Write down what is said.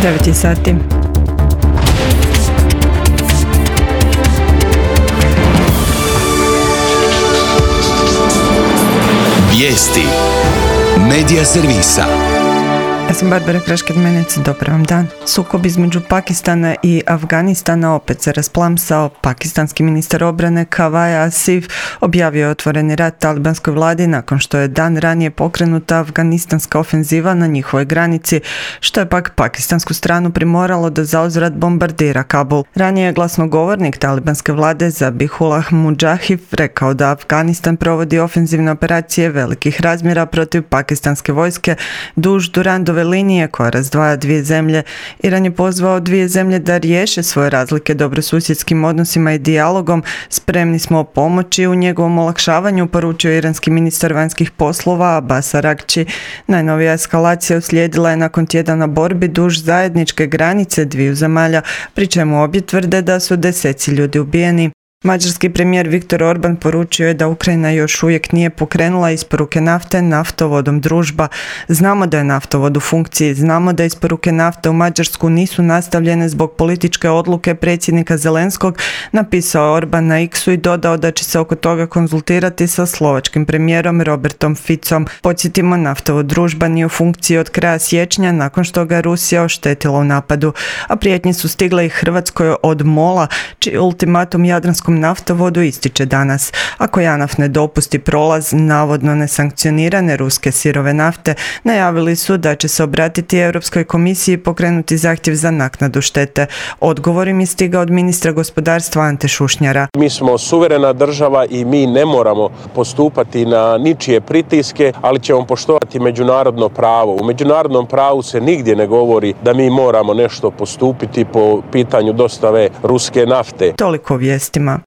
9 sati. Vijesti Medija servisa. Ja sam Barbara Krašked-Menec, dobar vam dan. Sukob između Pakistana i Afganistana opet se rasplamsao. Pakistanski ministar obrane Kavaja Asif objavio je otvoreni rat talibanskoj vladi nakon što je dan ranije pokrenuta afganistanska ofenziva na njihovoj granici, što je pak pakistansku stranu primoralo da zauzvrat bombardira Kabul. Ranije je glasnogovornik talibanske vlade Zabihullah Mujahid rekao da Afganistan provodi ofenzivne operacije velikih razmjera protiv pakistanske vojske duž Durandove linije koja razdvaja dvije zemlje. Iran je pozvao dvije zemlje da riješe svoje razlike dobrosusjedskim odnosima i dijalogom. Spremni smo pomoći u njegovom olakšavanju, poručio iranski ministar vanjskih poslova Abbas Araghchi. Najnovija eskalacija uslijedila je nakon tjedana borbi duž zajedničke granice dviju zemalja, pri čemu obje tvrde da su deseci ljudi ubijeni. Mađarski premijer Viktor Orban poručio je da Ukrajina još uvijek nije pokrenula isporuke nafte naftovodom Družba. Znamo da je naftovod u funkciji, znamo da isporuke nafte u Mađarsku nisu nastavljene zbog političke odluke predsjednika Zelenskog, napisao Orban na X-u i dodao da će se oko toga konzultirati sa slovačkim premijerom Robertom Ficom. Podsjetimo, naftovod Družba nije u funkciji od kraja siječnja nakon što ga Rusija oštetila u napadu, a prijetnje su stigle i Hrvatskoj od MOL-a, čiji ultimatum jadranskom naftovodu ističe danas. Ako JANAF ne dopusti prolaz navodno nesankcionirane ruske sirove nafte, najavili su da će se obratiti Europskoj komisiji i pokrenuti zahtjev za naknadu štete. Odgovor im je stigao od ministra gospodarstva Ante Šušnjara. Mi smo suverena država i mi ne moramo postupati na ničije pritiske, ali ćemo poštovati međunarodno pravo. U međunarodnom pravu se nigdje ne govori da mi moramo nešto postupiti po pitanju dostave ruske nafte. Toliko o vijestima.